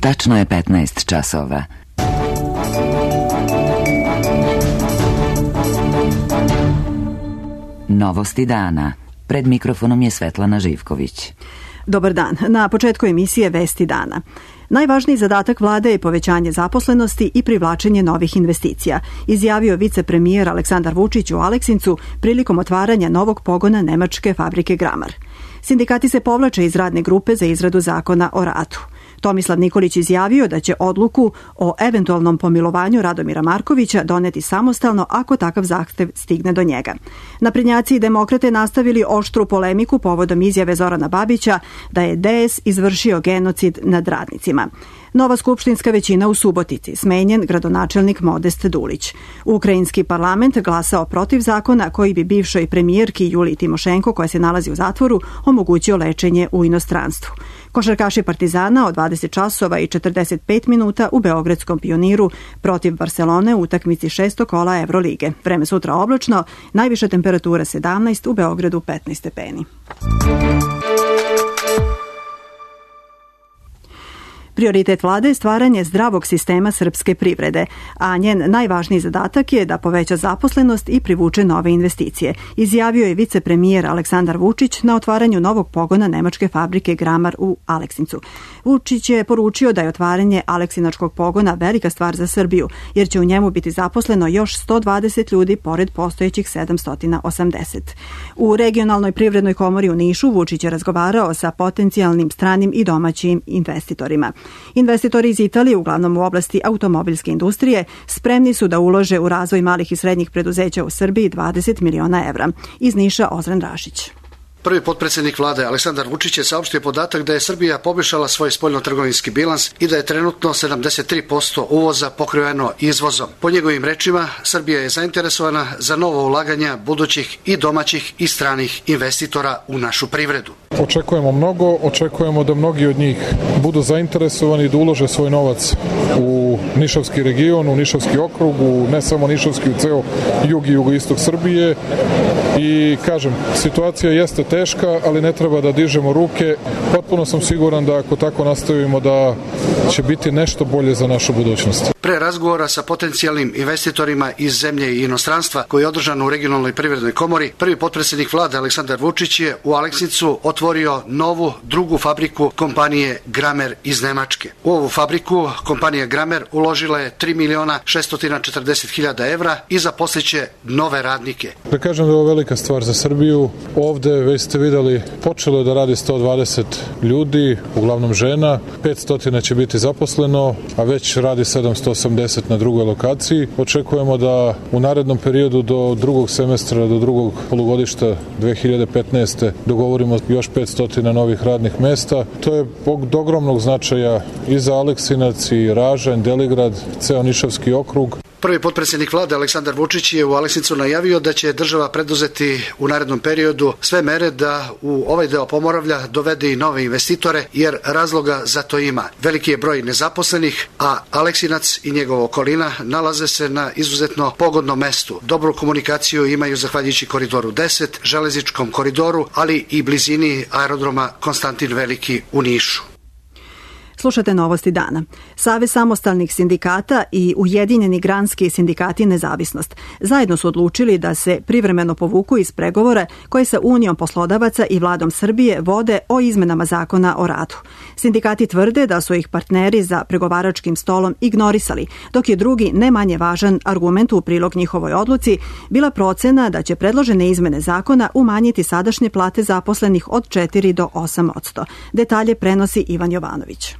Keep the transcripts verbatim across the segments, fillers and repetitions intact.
Tačno je petnaest časova. Novosti dana. Pred mikrofonom je Svetlana Živković. Dobar dan. Na početku emisije Vesti dana. Najvažniji zadatak vlade je povećanje zaposlenosti i privlačenje novih investicija, izjavio vicepremijer Aleksandar Vučić u Aleksincu prilikom otvaranja novog pogona nemačke fabrike Gramar. Sindikati se povlače iz radne grupe za izradu zakona o radu. Tomislav Nikolić izjavio da će odluku o eventualnom pomilovanju Radomira Markovića doneti samostalno ako takav zahtev stigne do njega. Naprednjaci i demokrate nastavili oštru polemiku povodom izjave Zorana Babića da je D S izvršio genocid nad radnicima. Nova skupštinska većina u Subotici, smenjen gradonačelnik Modest Dulić. Ukrajinski parlament glasao protiv zakona koji bi bivšoj premijerki Juliji Timošenko, koja se nalazi u zatvoru, omogućio lečenje u inostranstvu. Košarkaši Partizana od dvadeset časova i četrdeset pet minuta u Beogradskom Pioniru protiv Barcelone u utakmici šestog kola Evrolige. Vreme sutra oblačno, najviša temperatura sedamnaest, u Beogradu petnaest stepeni. Prioritet vlade je stvaranje zdravog sistema srpske privrede, a njen najvažniji zadatak je da poveća zaposlenost i privuče nove investicije, izjavio je vicepremijer Aleksandar Vučić na otvaranju novog pogona nemačke fabrike Gramar u Aleksincu. Vučić je poručio da je otvaranje aleksinačkog pogona velika stvar za Srbiju, jer će u njemu biti zaposleno još sto dvadeset ljudi pored postojećih sedamsto osamdeset. U regionalnoj privrednoj komori u Nišu Vučić je razgovarao sa potencijalnim stranim i domaćim investitorima. Investitori iz Italije, uglavnom u oblasti automobilske industrije, spremni su da ulože u razvoj malih i srednjih preduzeća u Srbiji dvadeset miliona evra. Iz Niša Ozren Rašić. Prvi potpredsjednik vlade Aleksandar Vučić je saopštio podatak da je Srbija poboljšala svoj spoljnotrgovinski bilans i da je trenutno sedamdeset tri posto uvoza pokriveno izvozom. Po njegovim rečima, Srbija je zainteresovana za novo ulaganja budućih i domaćih i stranih investitora u našu privredu. Očekujemo mnogo, očekujemo da mnogi od njih budu zainteresovani da ulože svoj novac u Nišavski region, u Nišavski okrug, u ne samo Nišavski, u ceo jug i jugoistok Srbije. I kažem, situacija jeste teška, ali ne treba da dižemo ruke. Potpuno sam siguran da ako tako nastavimo da će biti nešto bolje za našu budućnost. Pre razgovora sa potencijalnim investitorima iz zemlje i inostranstva koji je održan u regionalnoj privrednoj komori, prvi potpredsjednik vlade Aleksandar Vučić je u Aleksincu otvorio novu drugu fabriku kompanije Gramer iz Nemačke. U ovu fabriku kompanija Gramer uložila je tri miliona šesto četrdeset hiljada evra i zaposliće nove radnike. Da kažem da je ovo velika stvar za Srbiju. Ovde, već ste videli, počelo je da radi sto dvadeset ljudi, uglavnom žena, petsto će biti zaposleno, a već radi sedamsto osamdeset na drugoj lokaciji. Očekujemo da u narednom periodu do drugog semestra, do drugog polugodišta dve hiljade petnaeste. dogovorimo još petsto novih radnih mesta. To je od ogromnog značaja i za Aleksinac, i Ražanj, Deligrad, ceo Nišavski okrug. Prvi potpredsjednik vlade Aleksandar Vučić je u Aleksincu najavio da će država preduzeti u narednom periodu sve mere da u ovaj deo Pomoravlja dovede i nove investitore, jer razloga za to ima. Veliki je broj nezaposlenih, a Aleksinac i njegova okolina nalaze se na izuzetno pogodnom mestu. Dobru komunikaciju imaju zahvaljujući Koridoru deset, železničkom koridoru, ali i blizini aerodroma Konstantin Veliki u Nišu. Slušate Novosti dana. Savez samostalnih sindikata i Ujedinjeni granski sindikati Nezavisnost zajedno su odlučili da se privremeno povuku iz pregovora koje sa Unijom poslodavaca i vladom Srbije vode o izmenama zakona o radu. Sindikati tvrde da su ih partneri za pregovaračkim stolom ignorisali, dok je drugi, ne manje važan argument u prilog njihovoj odluci bila procena da će predložene izmene zakona umanjiti sadašnje plate zaposlenih od četiri do osam posto. Detalje prenosi Ivan Jovanović.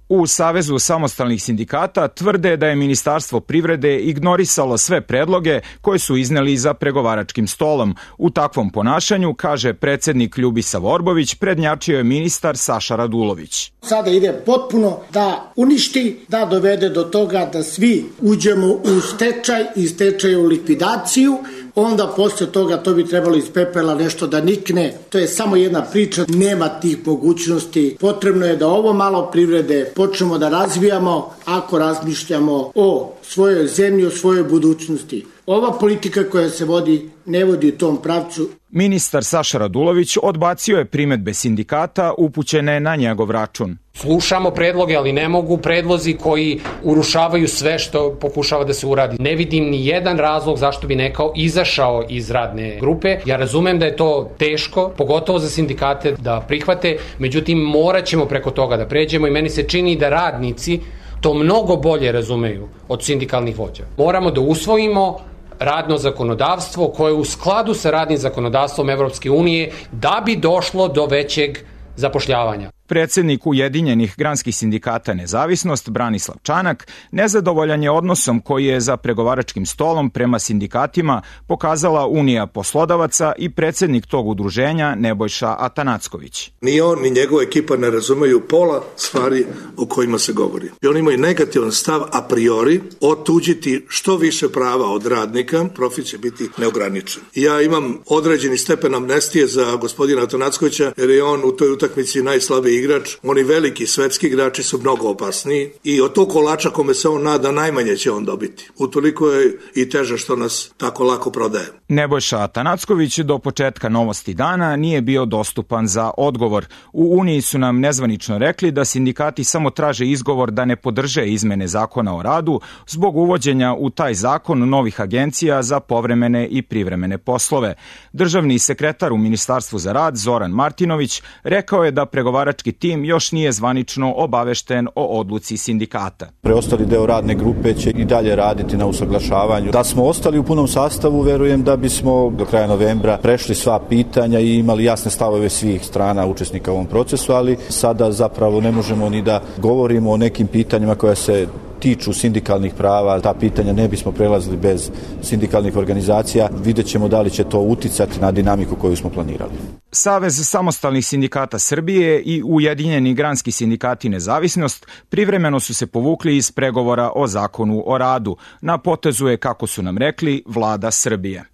U Savezu samostalnih sindikata tvrde da je Ministarstvo privrede ignorisalo sve predloge koje su izneli za pregovaračkim stolom. U takvom ponašanju, kaže predsednik Ljubisa Vorbović, prednjačio je ministar Saša Radulović. Sada ide potpuno da uništi, da dovede do toga da svi uđemo u stečaj i stečaj u likvidaciju, onda posle toga to bi trebalo iz pepela nešto da nikne. To je samo jedna priča, nema tih mogućnosti. Potrebno je da ovo malo privrede počnemo da razvijamo ako razmišljamo o svojoj zemlji, o svojoj budućnosti. ova politika koja se vodi ne vodi u tom pravcu. Ministar Saša Radulović odbacio je primedbe sindikata upućene na njegov račun. Slušamo predloge, ali ne mogu predlozi koji urušavaju sve što pokušava da se uradi. Ne vidim ni jedan razlog zašto bi neko izašao iz radne grupe. Ja razumem da je to teško, pogotovo za sindikate da prihvate, međutim morat ćemo preko toga da pređemo i meni se čini da radnici to mnogo bolje razumeju od sindikalnih vođa. Moramo da usvojimo radno zakonodavstvo koje je u skladu sa radnim zakonodavstvom Evropske unije da bi došlo do većeg zapošljavanja. Predsednik Ujedinjenih granskih sindikata Nezavisnost, Branislav Čanak, nezadovoljan je odnosom koji je za pregovaračkim stolom prema sindikatima pokazala Unija poslodavaca i predsednik tog udruženja Nebojša Atanacković. Ni on, ni njegova ekipa ne razumeju pola stvari o kojima se govori. I oni imaju negativan stav a priori, otuđiti što više prava od radnika, profit će biti neograničen. Ja imam određeni stepen amnestije za gospodina Atanackovića, jer je on u toj utakmici najslabiji igrač, oni veliki svetski igrači su mnogo opasniji i od tog kolača kome se on nada najmanje će on dobiti. Utoliko je i teže što nas tako lako prodaje. Nebojša Atanacković do početka Novosti dana nije bio dostupan za odgovor. U Uniji su nam nezvanično rekli da sindikati samo traže izgovor da ne podrže izmene zakona o radu zbog uvođenja u taj zakon novih agencija za povremene i privremene poslove. Državni sekretar u Ministarstvu za rad Zoran Martinović rekao je da pregovarački tim još nije zvanično obavešten o odluci sindikata. Preostali deo radne grupe će i dalje raditi na usaglašavanju. Da smo ostali u punom sastavu, verujem da bismo do kraja novembra prešli sva pitanja i imali jasne stavove svih strana učesnika u ovom procesu, ali sada zapravo ne možemo ni da govorimo o nekim pitanjima koja se tiču sindikalnih prava, ta pitanja ne bismo prelazili bez sindikalnih organizacija. Vidjet ćemo da li će to uticati na dinamiku koju smo planirali. Savez samostalnih sindikata Srbije i Ujedinjeni granski sindikati Nezavisnost privremeno su se povukli iz pregovora o zakonu o radu. Na potezu je, kako su nam rekli, vlada Srbije.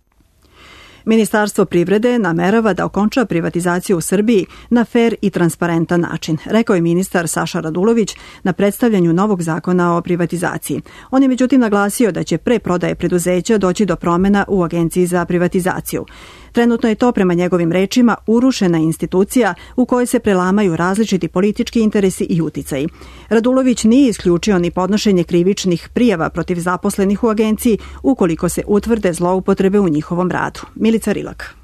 Ministarstvo privrede namerava da okonča privatizaciju u Srbiji na fer i transparentan način, rekao je ministar Saša Radulović na predstavljanju novog zakona o privatizaciji. On je međutim naglasio da će pre prodaje preduzeća doći do promena u Agenciji za privatizaciju. Trenutno je to, prema njegovim rečima, urušena institucija u kojoj se prelamaju različiti politički interesi i uticaji. Radulović nije isključio ni podnošenje krivičnih prijava protiv zaposlenih u agenciji ukoliko se utvrde zloupotrebe u njihovom radu. Milica Rilak.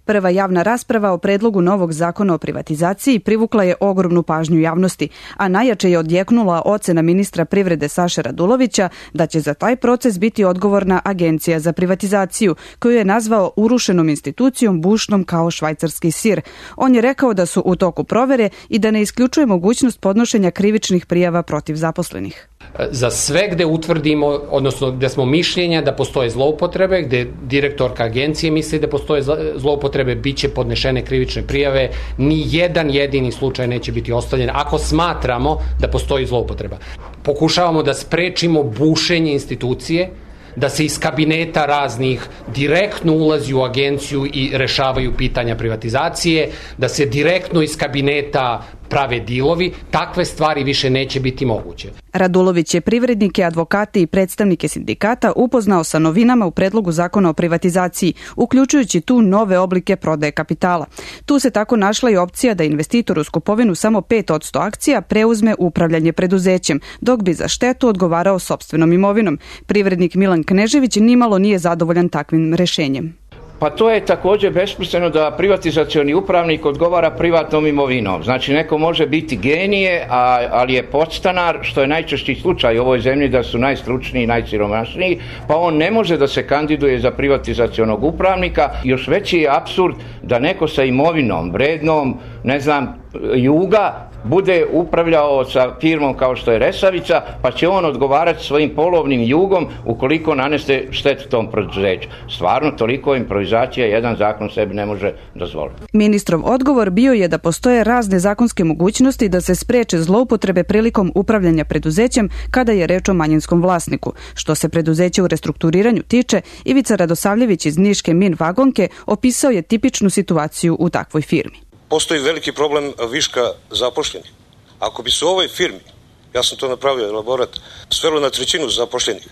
Prva javna rasprava o predlogu novog zakona o privatizaciji privukla je ogromnu pažnju javnosti, a najjače je odjeknula ocena ministra privrede Saše Radulovića da će za taj proces biti odgovorna Agencija za privatizaciju, koju je nazvao urušenom institucijom bušnom kao švajcarski sir. On je rekao da su u toku provere i da ne isključuje mogućnost podnošenja krivičnih prijava protiv zaposlenih. Za sve gde utvrdimo, odnosno gde smo mišljenja da postoje zloupotrebe, gde direktorka agencije misli da postoje zloupotrebe, bit će podnešene krivične prijave, ni jedan jedini slučaj neće biti ostavljen ako smatramo da postoji zloupotreba. Pokušavamo da sprečimo bušenje institucije, da se iz kabineta raznih direktno ulazi u agenciju i rešavaju pitanja privatizacije, da se direktno iz kabineta prave dilovi, takve stvari više neće biti moguće. Radulović je privrednike, advokate i predstavnike sindikata upoznao sa novinama u predlogu zakona o privatizaciji, uključujući tu nove oblike prodaje kapitala. Tu se tako našla i opcija da investitor uz kupovinu samo pet posto akcija preuzme upravljanje preduzećem, dok bi za štetu odgovarao sopstvenom imovinom. Privrednik Milan Knežević nimalo nije zadovoljan takvim rešenjem. Pa to je također besmisleno da privatizacioni upravnik odgovara privatnom imovinom. Znači neko može biti genije, a, ali je podstanar, što je najčešći slučaj u ovoj zemlji da su najstručniji i najsiromašniji, pa on ne može da se kandiduje za privatizacionog upravnika. Još veći je apsurd da neko sa imovinom, vrednom, ne znam, Juga, bude upravljao sa firmom kao što je Resavica, pa će on odgovarati svojim polovnim jugom ukoliko nanese štetu tom preduzeću. Stvarno, toliko improvizacija jedan zakon sebi ne može dozvoliti. Ministrov odgovor bio je da postoje razne zakonske mogućnosti da se spreče zloupotrebe prilikom upravljanja preduzećem kada je reč o manjinskom vlasniku. Što se preduzeća u restrukturiranju tiče, Ivica Radosavljević iz Niške Min Vagonke opisao je tipičnu situaciju u takvoj firmi. Postoji veliki problem viška zapošljenih. Ako bi se u ovoj firmi, ja sam to napravio elaborat, svelo na trećinu zapošljenih,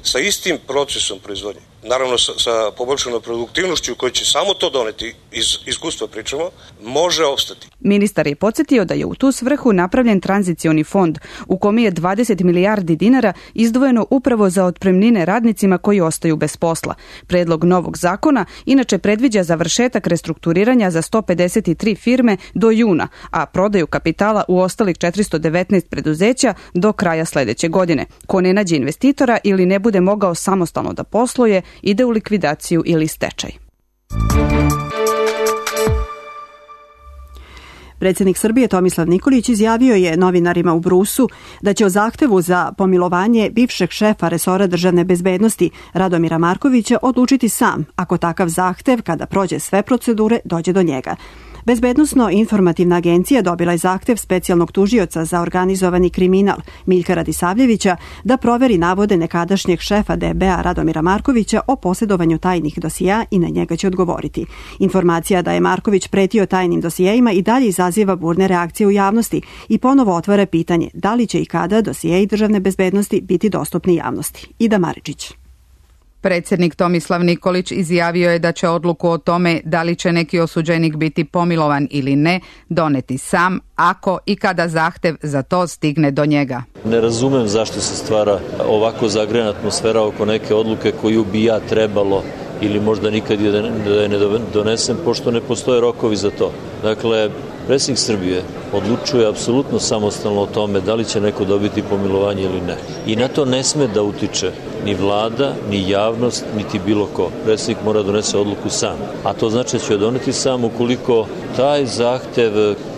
sa istim procesom proizvodnje, naravno sa, sa poboljšanom produktivnošću koji će samo to doneti, iz iskustva pričamo, može opstati. Ministar je podsjetio da je u tu svrhu napravljen tranzicioni fond u kome je dvadeset milijardi dinara izdvojeno upravo za otpremnine radnicima koji ostaju bez posla. Predlog novog zakona inače predviđa završetak restrukturiranja za sto pedeset tri firme do juna, a prodaju kapitala u ostalih četiristo devetnaest preduzeća do kraja sledeće godine. Ko ne nađe investitora ili ne bude mogao samostalno da posluje, ide u likvidaciju ili stečaj. Predsjednik Srbije Tomislav Nikolić izjavio je novinarima u Brusu da će o zahtevu za pomilovanje bivšeg šefa resora državne bezbednosti Radomira Markovića odlučiti sam, ako takav zahtev, kada prođe sve procedure, dođe do njega. Bezbednosno-informativna agencija dobila je zahtev specijalnog tužioca za organizovani kriminal Miljka Radisavljevića da proveri navode nekadašnjeg šefa D B A Radomira Markovića o posjedovanju tajnih dosija i na njega će odgovoriti. Informacija da je Marković pretio tajnim dosijejima i dalje izaziva burne reakcije u javnosti i ponovo otvara pitanje da li će i kada dosijeji državne bezbednosti biti dostupni javnosti. Ida Maričić. Predsjednik Tomislav Nikolić izjavio je da će odluku o tome da li će neki osuđenik biti pomilovan ili ne doneti sam, ako i kada zahtev za to stigne do njega. Ne razumem zašto se stvara ovako zagrejana atmosfera oko neke odluke koju bi ja trebalo ili možda nikad da je ne donesem, pošto ne postoje rokovi za to. Dakle, predsjednik Srbije odlučuje apsolutno samostalno o tome da li će neko dobiti pomilovanje ili ne. I na to ne sme da utiče ni vlada, ni javnost, niti bilo ko. Predsjednik mora donese odluku sam. A to znači da će doneti sam ukoliko taj zahtev,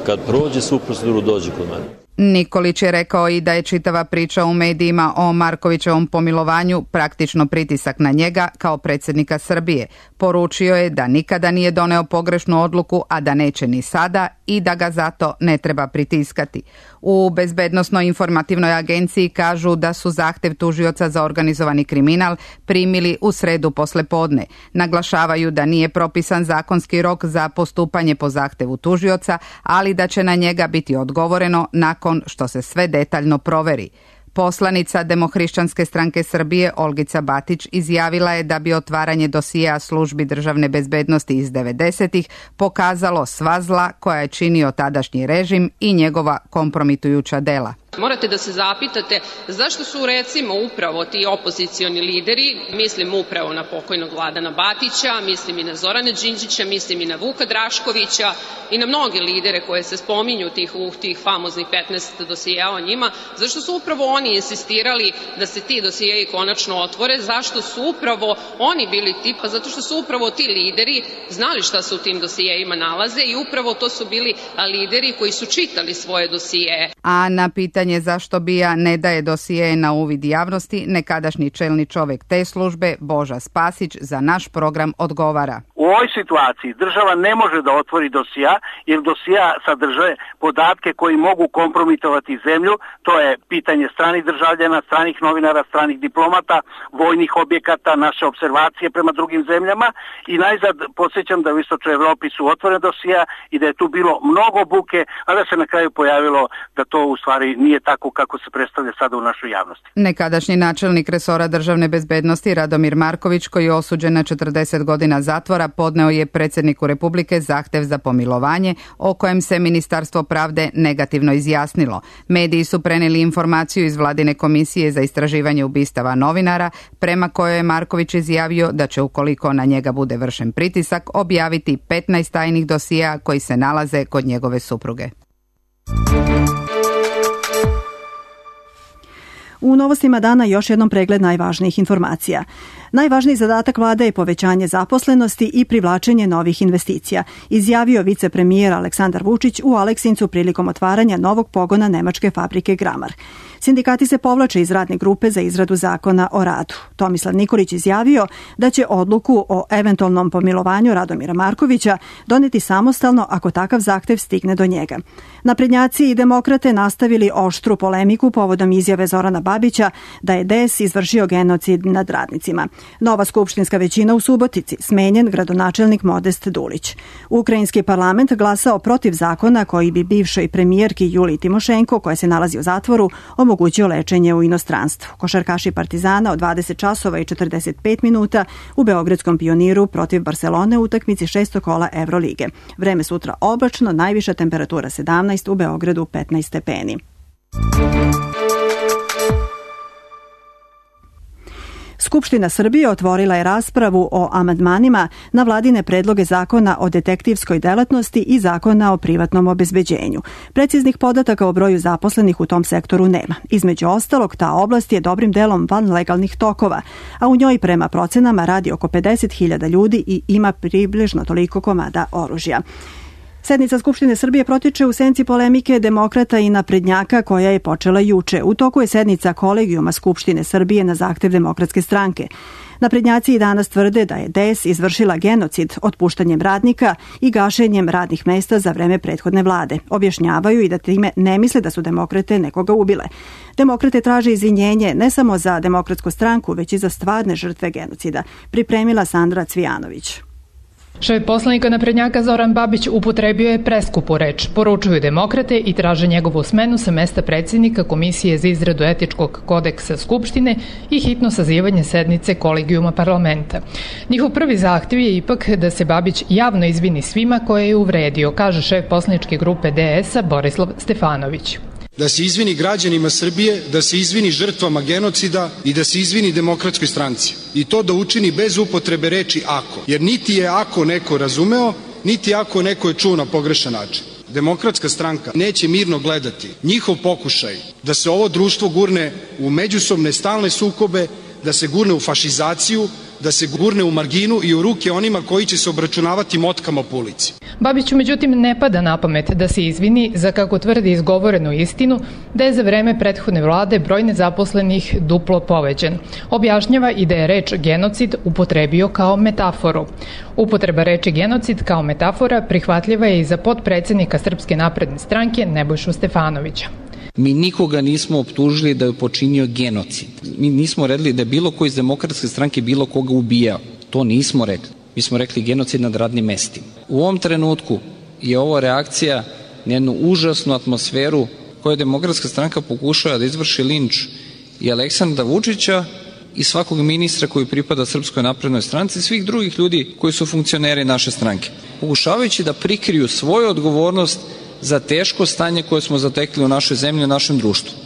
kad prođe svu proceduru, dođe kod mene. Nikolić je rekao i da je čitava priča u medijima o Markovićevom pomilovanju praktično pritisak na njega kao predsjednika Srbije. Poručio je da nikada nije doneo pogrešnu odluku, a da neće ni sada i da ga zato ne treba pritiskati. U Bezbednosno-informativnoj agenciji kažu da su zahtev tužioca za organizovani kriminal primili u sredu posle podne. Naglašavaju da nije propisan zakonski rok za postupanje po zahtevu tužioca, ali da će na njega biti odgovoreno nakon što se sve detaljno proveri. Poslanica Demohrišćanske stranke Srbije Olgica Batić izjavila je da bi otvaranje dosija službi državne bezbednosti iz devedesetih pokazalo sva zla koja je činio tadašnji režim i njegova kompromitujuća dela. Morate da se zapitate zašto su recimo upravo ti opozicioni lideri, mislim upravo na pokojnog Vladana Batića, mislim i na Zorana Đinđića, mislim i na Vuka Draškovića i na mnoge lidere koje se spominju tih, u tih famoznih petnaest dosijeja o njima, zašto su upravo oni insistirali da se ti dosijeji konačno otvore, zašto su upravo oni bili ti, pa zato što su upravo ti lideri znali šta se u tim dosijejima nalaze i upravo to su bili lideri koji su čitali svoje dosijeje. A na pitanje zašto B I A ne daje dosije na uvid javnosti, nekadašnji čelni čovek te službe, Boža Spasić, za naš program odgovara. U ovoj situaciji država ne može da otvori dosija, jer dosija sadrže podatke koji mogu kompromitovati zemlju, to je pitanje stranih državljana, stranih novinara, stranih diplomata, vojnih objekata, naše observacije prema drugim zemljama i najzad podsjećam da u Istočnoj Evropi su otvorene dosija i da je tu bilo mnogo buke, a da se na kraju pojavilo da to u stvari nije tako kako se predstavlja sada u našoj javnosti. Nekadašnji načelnik resora državne bezbednosti Radomir Marković, koji je osuđen na četrdeset godina zatvora, podneo je predsjedniku Republike zahtev za pomilovanje, o kojem se Ministarstvo pravde negativno izjasnilo. Mediji su preneli informaciju iz Vladine komisije za istraživanje ubistava novinara, prema kojoj je Marković izjavio da će, ukoliko na njega bude vršen pritisak, objaviti petnaest tajnih dosija koji se nalaze kod njegove supruge. U novostima dana još jednom pregled najvažnijih informacija. Najvažniji zadatak vlade je povećanje zaposlenosti i privlačenje novih investicija, izjavio vicepremijer Aleksandar Vučić u Aleksincu prilikom otvaranja novog pogona nemačke fabrike Gramar. Sindikati se povlače iz radne grupe za izradu zakona o radu. Tomislav Nikolić izjavio da će odluku o eventualnom pomilovanju Radomira Markovića doneti samostalno ako takav zahtev stigne do njega. Naprednjaci i demokrate nastavili oštru polemiku povodom izjave Zorana Babića da je D S izvršio genocid nad radnicima. Nova skupštinska većina u Subotici, smenjen gradonačelnik Modest Dulić. Ukrajinski parlament glasao protiv zakona koji bi bivšoj premijerki Juliji Timošenko, koja se nalazi u zatvoru, omogućio omogućio lečenje u inostranstvu. Košarkaši Partizana od dvadeset časova i četrdeset pet minuta u Beogradskom Pioniru protiv Barcelone u utakmici šestog kola Evrolige. Vreme sutra oblačno, najviša temperatura sedamnaest, u Beogradu petnaest stepeni. Skupština Srbije otvorila je raspravu o amandmanima na vladine predloge zakona o detektivskoj delatnosti i zakona o privatnom obezbeđenju. Preciznih podataka o broju zaposlenih u tom sektoru nema. Između ostalog, ta oblast je dobrim delom van legalnih tokova, a u njoj prema procenama radi oko pedeset hiljada ljudi i ima približno toliko komada oružja. Sednica Skupštine Srbije protiče u senci polemike demokrata i naprednjaka koja je počela juče. U toku je sednica kolegijuma Skupštine Srbije na zahtev Demokratske stranke. Naprednjaci i danas tvrde da je D E S izvršila genocid otpuštanjem radnika i gašenjem radnih mesta za vreme prethodne vlade. Objašnjavaju i da time ne misle da su demokrate nekoga ubile. Demokrate traže izvinjenje ne samo za Demokratsku stranku, već i za stvarne žrtve genocida. Pripremila Sandra Cvijanović. Šef poslanika naprednjaka Zoran Babić upotrebio je preskupu reč. Poručuju demokrate i traže njegovu smenu sa mesta predsjednika Komisije za izradu etičkog kodeksa Skupštine i hitno sazivanje sednice kolegijuma parlamenta. Njihov prvi zahtjev je ipak da se Babić javno izvini svima koje je uvredio, kaže šef poslaničke grupe D E S-a Borislav Stefanović. Da se izvini građanima Srbije, da se izvini žrtvama genocida i da se izvini Demokratskoj stranci. I to da učini bez upotrebe reči ako. Jer niti je ako neko razumeo, niti ako neko je čuo na pogrešan način. Demokratska stranka neće mirno gledati njihov pokušaj da se ovo društvo gurne u međusobne stalne sukobe, da se gurne u fašizaciju, da se gurne u marginu i u ruke onima koji će se obračunavati motkama po ulici. Babiću međutim ne pada na pamet da se izvini za, kako tvrdi, izgovorenu istinu da je za vreme prethodne vlade broj nezaposlenih duplo povećan. Objašnjava i da je reč genocid upotrebio kao metaforu. Upotreba reči genocid kao metafora prihvatljiva je i za potpredsjednika Srpske napredne stranke Nebojšu Stefanovića. Mi nikoga nismo optužili da je počinio genocid. Mi nismo rekli da je bilo ko iz Demokratske stranke bilo koga ubijao. To nismo rekli. Mi smo rekli genocid nad radnim mestima. U ovom trenutku je ovo reakcija na jednu užasnu atmosferu koju Demokratska stranka pokušava da izvrši linč i Aleksandra Vučića i svakog ministra koji pripada Srpskoj naprednoj stranci i svih drugih ljudi koji su funkcioneri naše stranke. Pokušavajući da prikriju svoju odgovornost za teško stanje koje smo zatekli u našoj zemlji i u našem društvu.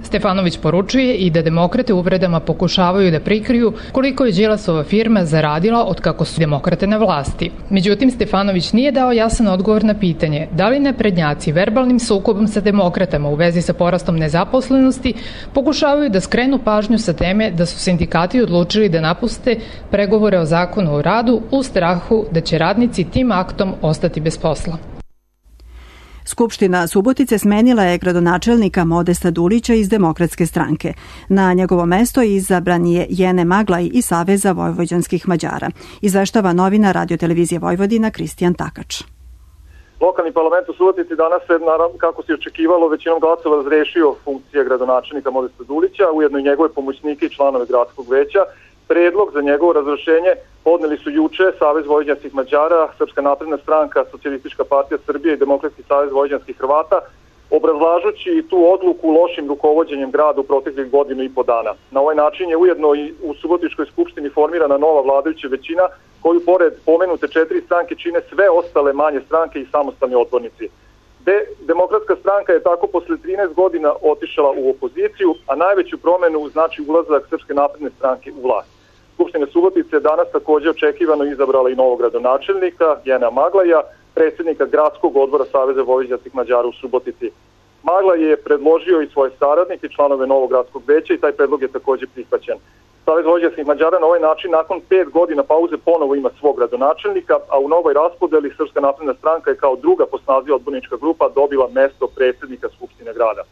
Stefanović poručuje i da demokrate uvredama pokušavaju da prikriju koliko je Đilasova firma zaradila od kako su demokrate na vlasti. Međutim, Stefanović nije dao jasan odgovor na pitanje da li naprednjaci verbalnim sukobom sa demokratama u vezi sa porastom nezaposlenosti pokušavaju da skrenu pažnju sa teme da su sindikati odlučili da napuste pregovore o zakonu o radu u strahu da će radnici tim aktom ostati bez posla. Skupština Subotice smenila je gradonačelnika Modesta Dulića iz Demokratske stranke. Na njegovo mesto izabran je Jene Maglaj iz Saveza vojvođanskih Mađara. Izveštava novina Radio-televizije Vojvodina Kristijan Takač. Lokalni parlament u Subotici danas se, naravno, kako se očekivalo, većinom glasova razrešio funkcije gradonačelnika Modesta Dulića, ujedno i njegove pomoćnike i članove gradskog veća. Predlog za njegovo razrešenje podneli su juče Savez vojvođanskih Mađara, Srpska napredna stranka, Socijalistička partija Srbije i Demokratski savez vojvođanskih Hrvata, obrazlažući tu odluku lošim rukovođenjem grada u proteklih godinu i po dana. Na ovaj način je ujedno i u Subotičkoj skupštini formirana nova vladajuća većina, koju pored pomenute četiri stranke čine sve ostale manje stranke i samostalni odbornici. De, Demokratska stranka je tako posle trinaest godina otišala u opoziciju, a najveću promenu znači ulazak Srpske napredne stranke u vlast. Skupština Subotice je danas također očekivano izabrala i novog gradonačelnika, Jena Maglaja, predsjednika gradskog odbora Saveza vojvođanskih Mađara u Subotici. Maglaj je predložio i svoje saradnike i članove novog gradskog veća i taj predlog je također prihvaćen. Savez vojvođanskih Mađara na ovaj način nakon pet godina pauze ponovo ima svog gradonačelnika, a u novoj raspodeli Srpska napredna stranka je kao druga po snazi odbornička grupa dobila mesto predsjednika Skupštine grada.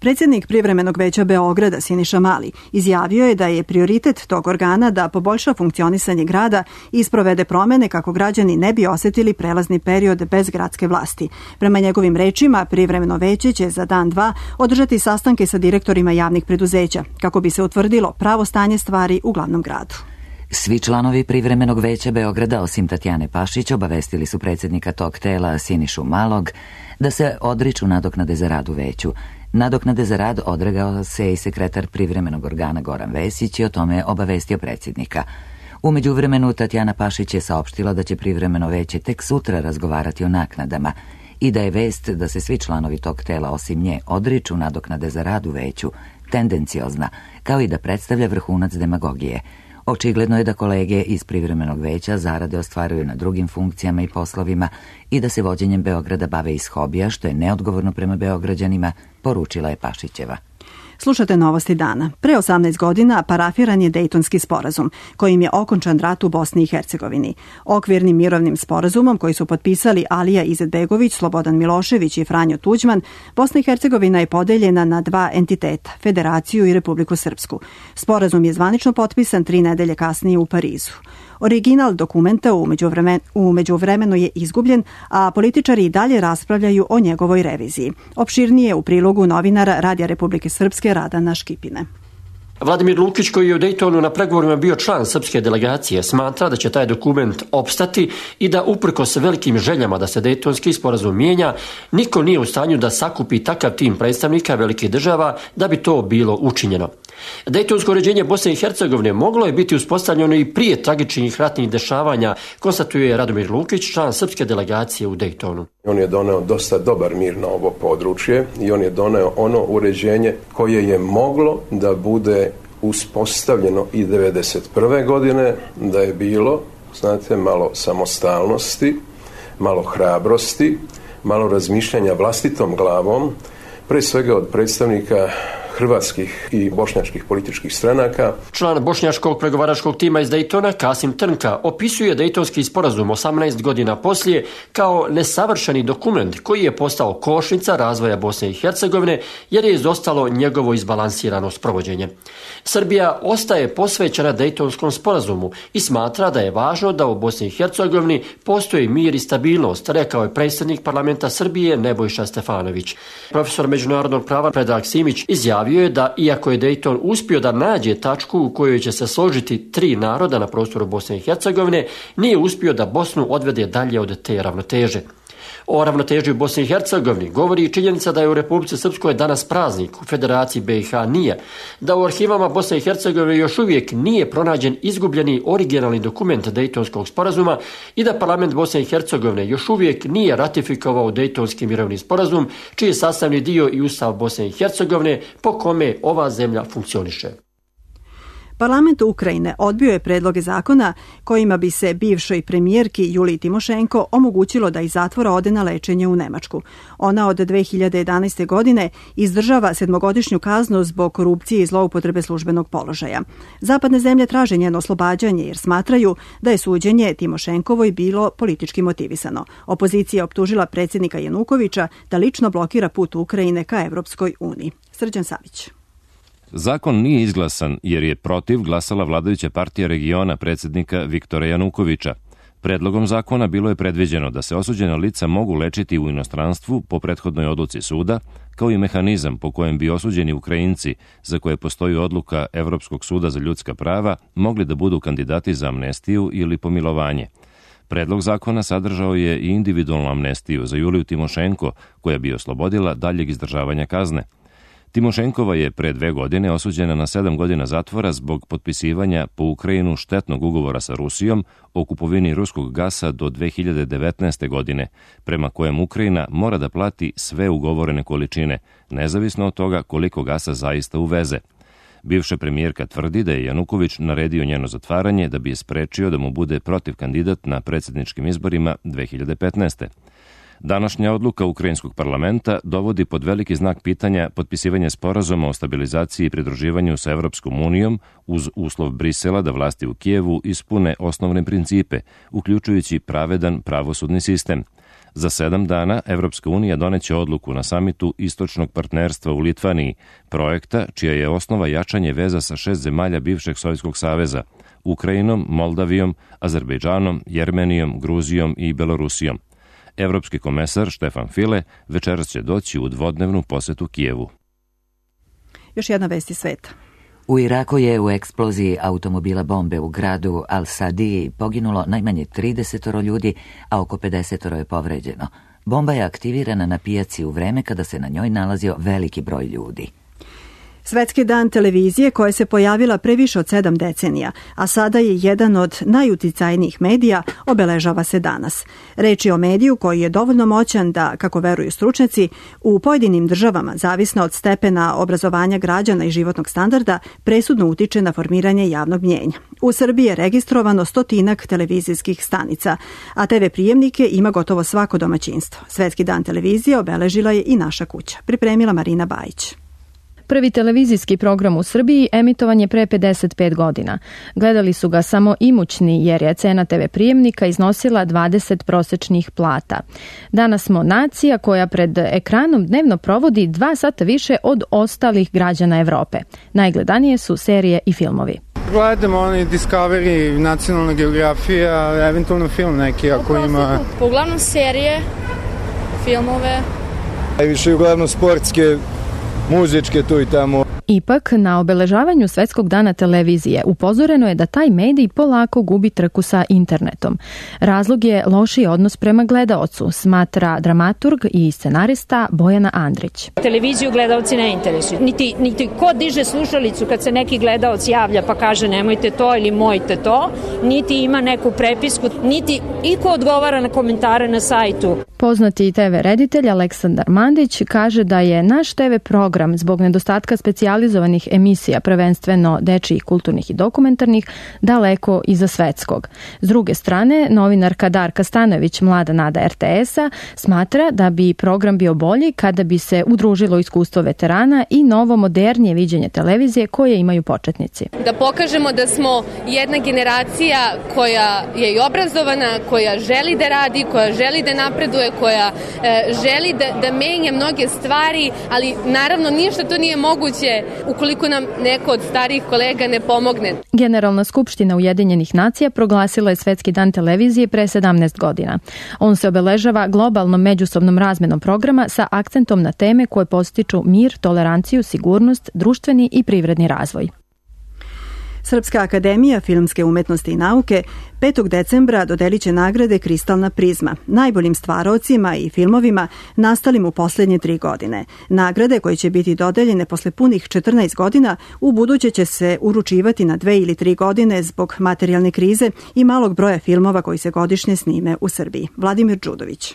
Predsjednik Privremenog veća Beograda Siniša Mali izjavio je da je prioritet tog organa da poboljša funkcionisanje grada i sprovede promene kako građani ne bi osjetili prelazni period bez gradske vlasti. Prema njegovim rečima, Privremeno veće će za dan dva održati sastanke sa direktorima javnih preduzeća kako bi se utvrdilo pravo stanje stvari u glavnom gradu. Svi članovi Privremenog veća Beograda, osim Tatjane Pašić, obavestili su predsjednika tog tela Sinišu Malog da se odriču nadoknade za rad u veću. Nadoknade za rad odregao se i sekretar privremenog organa Goran Vesić i o tome je obavestio predsjednika. U međuvremenu Tatjana Pašić je saopštila da će privremeno veće tek sutra razgovarati o naknadama i da je vest da se svi članovi tog tela osim nje odriču nadoknade za rad u veću tendenciozna, kao i da predstavlja vrhunac demagogije. Očigledno je da kolege iz privremenog veća zarade ostvaruju na drugim funkcijama i poslovima i da se vođenjem Beograda bave iz hobija, što je neodgovorno prema Beograđanima, poručila je Pašićeva. Slušate novosti dana. Pre osamnaest godina parafiran je Dejtonski sporazum, kojim je okončan rat u Bosni i Hercegovini. Okvirnim mirovnim sporazumom koji su potpisali Alija Izetbegović, Slobodan Milošević i Franjo Tuđman, Bosna i Hercegovina je podeljena na dva entiteta, Federaciju i Republiku Srpsku. Sporazum je zvanično potpisan tri nedelje kasnije u Parizu. Original dokumenta u, međuvremen, u međuvremenu je izgubljen, a političari i dalje raspravljaju o njegovoj reviziji. Opširnije u prilogu novinara Radija Republike Srpske Radana Škipine. Vladimir Lukić, koji je u Dejtonu na pregovorima bio član srpske delegacije, smatra da će taj dokument opstati i da uprkos velikim željama da se Dejtonski sporazum mijenja, niko nije u stanju da sakupi takav tim predstavnika velikih država da bi to bilo učinjeno. Dejtonsko uređenje Bosne i Hercegovine moglo je biti uspostavljeno i prije tragičnih ratnih dešavanja, konstatuje Radomir Lukić, član srpske delegacije u Dejtonu. On je doneo dosta dobar mir na ovo područje i on je doneo ono uređenje koje je moglo da bude uspostavljeno i devedeset prve godine, da je bilo, znate, malo samostalnosti, malo hrabrosti, malo razmišljanja vlastitom glavom, pre svega od predstavnika hrvatskih i bošnjačkih političkih stranaka. Član bošnjačkog pregovaračkog tima iz Dejtona, Kasim Trnka, opisuje Dejtonski sporazum osamnaest godina poslije kao nesavršeni dokument koji je postao kočnica razvoja Bosne i Hercegovine jer je izostalo njegovo izbalansirano sprovođenje. Srbija ostaje posvećena Dejtonskom sporazumu i smatra da je važno da u Bosni i Hercegovini postoji mir i stabilnost, rekao je predsjednik parlamenta Srbije Nebojša Stefanović. Profesor međunarodnog prava Predrag Simić izjavio je da iako je Dejton uspio da nađe tačku u kojoj će se složiti tri naroda na prostoru Bosne i Hercegovine, nije uspio da Bosnu odvede dalje od te ravnoteže. O ravnoteži u Bosni i Hercegovini govori i činjenica da je u Republici Srpskoj danas praznik, u Federaciji B i H nije, da u arhivama Bosne i Hercegovine još uvijek nije pronađen izgubljeni originalni dokument Dejtonskog sporazuma i da parlament Bosne i Hercegovine još uvijek nije ratifikovao Dejtonski mirovni sporazum, čiji je sastavni dio i Ustav Bosne i Hercegovine po kome ova zemlja funkcioniše. Parlament Ukrajine odbio je predloge zakona kojima bi se bivšoj premijerki Juliji Timošenko omogućilo da iz zatvora ode na lečenje u Nemačku. Ona od dve hiljade jedanaeste. godine izdržava sedmogodišnju kaznu zbog korupcije i zloupotrebe službenog položaja. Zapadne zemlje traže njeno oslobađanje jer smatraju da je suđenje Timošenkovoj bilo politički motivisano. Opozicija je optužila predsjednika Janukovića da lično blokira put Ukrajine ka Evropskoj uniji. Srđan Savić. Zakon nije izglasan jer je protiv glasala vladajuća partija regiona predsjednika Viktora Janukovića. Predlogom zakona bilo je predviđeno da se osuđena lica mogu lečiti u inostranstvu po prethodnoj odluci suda, kao i mehanizam po kojem bi osuđeni Ukrajinci, za koje postoji odluka Evropskog suda za ljudska prava, mogli da budu kandidati za amnestiju ili pomilovanje. Predlog zakona sadržao je i individualnu amnestiju za Juliju Timošenko, koja bi oslobodila daljeg izdržavanja kazne. Timošenkova je pre dve godine osuđena na sedam godina zatvora zbog potpisivanja po Ukrajinu štetnog ugovora sa Rusijom o kupovini ruskog gasa do dve hiljade devetnaeste. godine, prema kojem Ukrajina mora da plati sve ugovorene količine, nezavisno od toga koliko gasa zaista uveze. Bivša premijerka tvrdi da je Januković naredio njeno zatvaranje da bi je sprečio da mu bude protiv kandidat na predsjedničkim izborima dve hiljade petnaeste. Današnja odluka ukrajinskog parlamenta dovodi pod veliki znak pitanja potpisivanje sporazuma o stabilizaciji i pridruživanju sa Evropskom unijom uz uslov Brisela da vlasti u Kijevu ispune osnovne principe, uključujući pravedan pravosudni sistem. Za sedam dana Evropska unija doneće odluku na samitu Istočnog partnerstva u Litvaniji, projekta čija je osnova jačanje veza sa šest zemalja bivšeg Sovjetskog saveza, Ukrajinom, Moldavijom, Azerbejdžanom, Jermenijom, Gruzijom i Belorusijom. Evropski komesar Štefan File večeras će doći u dvodnevnu posetu Kijevu. Još jedna vest iz sveta. U Iraku je u eksploziji automobila bombe u gradu Al-Sadiji poginulo najmanje trideset ljudi, a oko pedeset je povređeno. Bomba je aktivirana na pijaci u vreme kada se na njoj nalazio veliki broj ljudi. Svetski dan televizije koja se pojavila pre više od sedam decenija, a sada je jedan od najuticajnijih medija, obeležava se danas. Reč je o mediju koji je dovoljno moćan da, kako veruju stručnjaci, u pojedinim državama, zavisno od stepena obrazovanja građana i životnog standarda, presudno utiče na formiranje javnog mnjenja. U Srbiji je registrovano stotinak televizijskih stanica, a te ve prijemnike ima gotovo svako domaćinstvo. Svetski dan televizije obeležila je i naša kuća. Pripremila Marina Bajić. Prvi televizijski program u Srbiji emitovan je pre pedeset pet godina. Gledali su ga samo imućni jer je cena te ve prijemnika iznosila dvadeset prosečnih plata. Danas smo nacija koja pred ekranom dnevno provodi dva sata više od ostalih građana Evrope. Najgledanije su serije i filmovi. Gledamo oni Discovery, Nacionalna geografija, eventualno film neki ako ima. Uglavnom serije, filmove. Najviše uglavnom sportske, muzičke tu i tamo. Ipak, na obeležavanju Svetskog dana televizije upozoreno je da taj medij polako gubi trku sa internetom. Razlog je lošiji odnos prema gledaocu, smatra dramaturg i scenarista Bojana Andrić. Televiziju gledaoci ne interesuju. Niti, niti ko diže slušalicu kad se neki gledaoc javlja pa kaže nemojte to ili mojte to, niti ima neku prepisku, niti iko odgovara na komentare na sajtu. Poznati te ve reditelj Aleksandar Mandić kaže da je naš te ve program zbog nedostatka specijalizovanih emisija, prvenstveno dečijih, kulturnih i dokumentarnih, daleko iza svetskog. S druge strane, novinarka Darka Stanojević, mlada nada er te esa, smatra da bi program bio bolji kada bi se udružilo iskustvo veterana i novo modernije viđenje televizije koje imaju početnici. Da pokažemo da smo jedna generacija koja je i obrazovana, koja želi da radi, koja želi da napreduje, koja e, želi da, da menja mnoge stvari, ali naravno ništa to nije moguće ukoliko nam neko od starijih kolega ne pomogne. Generalna skupština Ujedinjenih nacija proglasila je Svetski dan televizije pre sedamnaest godina. On se obeležava globalnom međusobnom razmenom programa sa akcentom na teme koje podstiču mir, toleranciju, sigurnost, društveni i privredni razvoj. Srpska akademija filmske umetnosti i nauke petog decembra dodelit će nagrade Kristalna prizma najboljim stvaraocima i filmovima nastalim u posljednje tri godine. Nagrade koje će biti dodeljene posle punih četrnaest godina u buduće će se uručivati na dve ili tri godine zbog materijalne krize i malog broja filmova koji se godišnje snime u Srbiji. Vladimir Đudović.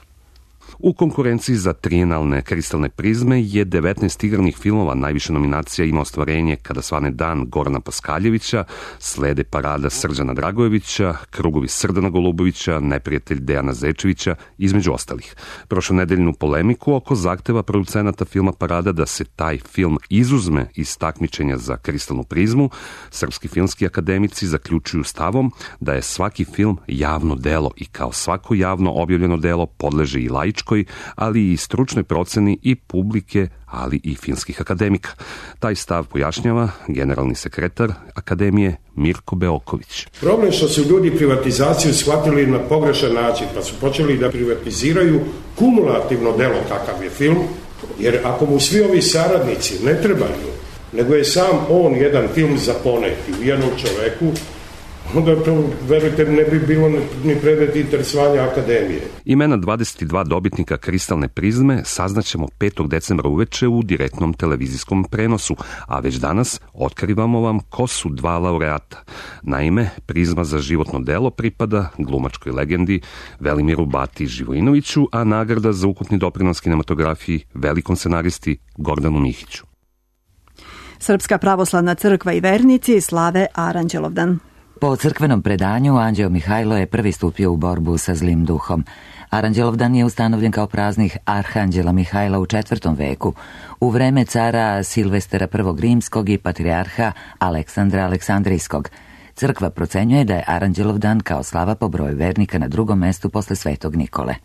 U konkurenciji za trijenalne kristalne prizme je devetnaest igranih filmova. Najviše nominacija ima ostvarenje Kada svane dan Gorana Paskaljevića, slede Parada Srđana Dragojevića, Krugovi Srdana Golubovića, Neprijatelj Dejana Zečevića, između ostalih. Prošlonedeljnu polemiku oko zahteva producenata filma Parada da se taj film izuzme iz takmičenja za kristalnu prizmu, srpski filmski akademici zaključuju stavom da je svaki film javno delo i kao svako javno objavljeno delo podleže i laičko, ali i stručnoj proceni i publike, ali i filmskih akademika. Taj stav pojašnjava generalni sekretar Akademije Mirko Beoković. Problem što su ljudi privatizaciju shvatili na pogrešan način, pa su počeli da privatiziraju kumulativno delo kakav je film, jer ako mu svi ovi saradnici ne trebaju, nego je sam on jedan film za poneti u jednom čoveku, onda to, verujte, ne bi bilo ni predmet interesovanja akademije. Imena dvadeset dva dobitnika kristalne prizme saznaćemo petog decembra uveče u direktnom televizijskom prenosu, a već danas otkrivamo vam ko su dva laureata. Naime, prizma za životno delo pripada glumačkoj legendi Velimiru Bati Živojinoviću, a nagrada za ukupni doprinos kinematografiji velikom scenaristi Gordanu Mihiću. Srpska pravoslavna crkva i vernici slave Aranđelovdan. Po crkvenom predanju, Anđeo Mihajlo je prvi stupio u borbu sa zlim duhom. Aranđelovdan je ustanovljen kao praznik Arhanđela Mihajla u četvrtom veku, u vreme cara Silvestera prvog rimskog i patrijarha Aleksandra Aleksandrijskog. Crkva procenjuje da je Aranđelovdan kao slava po broju vernika na drugom mestu posle Svetog Nikole.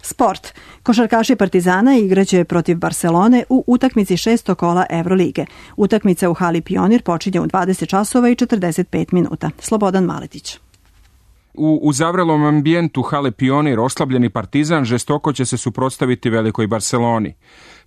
Sport. Košarkaši Partizana igraće protiv Barcelone u utakmici šestog kola Evrolige. Utakmica u hali Pionir počinje u dvadeset časova i četrdeset pet minuta. Slobodan Maletić. U uzavrelom ambijentu hale Pionir oslabljeni Partizan žestoko će se suprotstaviti velikoj Barceloni.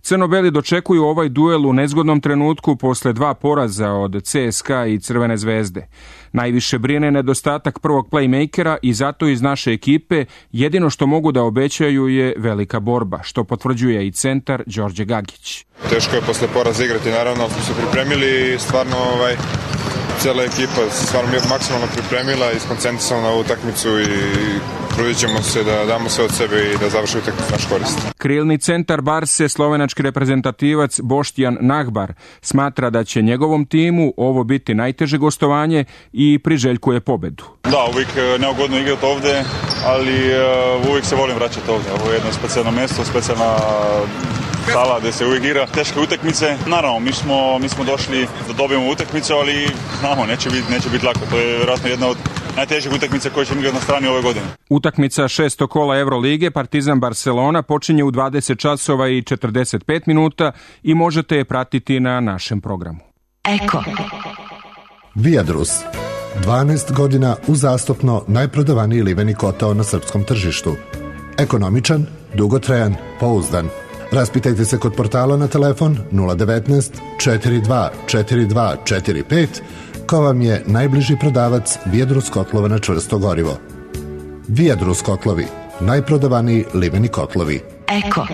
Crno-beli dočekuju ovaj duel u nezgodnom trenutku posle dva poraza od C S K A i Crvene zvezde. Najviše brine nedostatak prvog playmakera i zato iz naše ekipe jedino što mogu da obećaju je velika borba, što potvrđuje i centar Đorđe Gagić. Teško je posle poraza igrati, naravno smo se pripremili i stvarno ovaj, cijela ekipa se stvarno maksimalno pripremila i skoncentrisala na ovu utakmicu i trudit ćemo se da damo sve od sebe i da završi utakmicu naš korist. Krilni centar Barse, slovenački reprezentativac Boštjan Nahbar, smatra da će njegovom timu ovo biti najteže gostovanje i priželjkuje pobedu. Da, uvijek neugodno igrati ovde, ali uh, uvijek se volim vraćati ovde. Ovo je jedno specijalno mjesto, specijalna sala gdje se uvijek igra. Teške utakmice, naravno, mi smo, mi smo došli da dobijemo utakmicu, ali znamo, neće biti neće biti lako. To je vjerojatno jedna od najtežih utakmica koje ćemo igrati na strani ove godine. Utakmica šesto kola Evrolige Partizan Barcelona počinje u dvadeset časova i četrdeset pet minuta i možete je pratiti na našem programu. Eko. Viadrus. dvanaest godina uzastopno najprodavaniji liveni kotao na srpskom tržištu. Ekonomičan, dugotrajan, pouzdan. Raspitajte se kod portala na telefon nula devetnaest četrdeset dva četrdeset dva četrdeset pet ko vam je najbliži prodavac Viadrus kotlova na čvrsto gorivo. Viadrus kotlovi, najprodavaniji liveni kotlovi. Eko.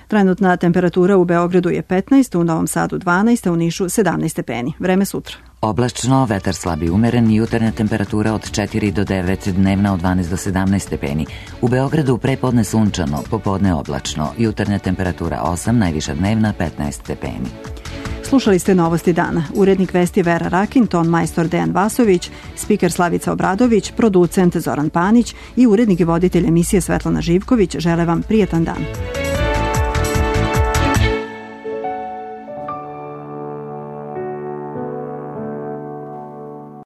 Trenutna temperatura u Beogradu je petnaest, u Novom Sadu dvanaest, a u Nišu sedamnaest stepeni. Vreme sutra. Oblačno, vetar slabi umeren, jutarnja temperatura od četiri do devet, dnevna od dvanaest do sedamnaest stepeni. U Beogradu prepodne sunčano, popodne oblačno, jutarnja temperatura osam, najviša dnevna petnaest stepeni. Slušali ste Novosti dana. Urednik vesti Vera Rakin, ton majstor Dejan Vasović, spiker Slavica Obradović, producent Zoran Panić i urednik i voditelj emisije Svetlana Živković žele vam prijetan dan.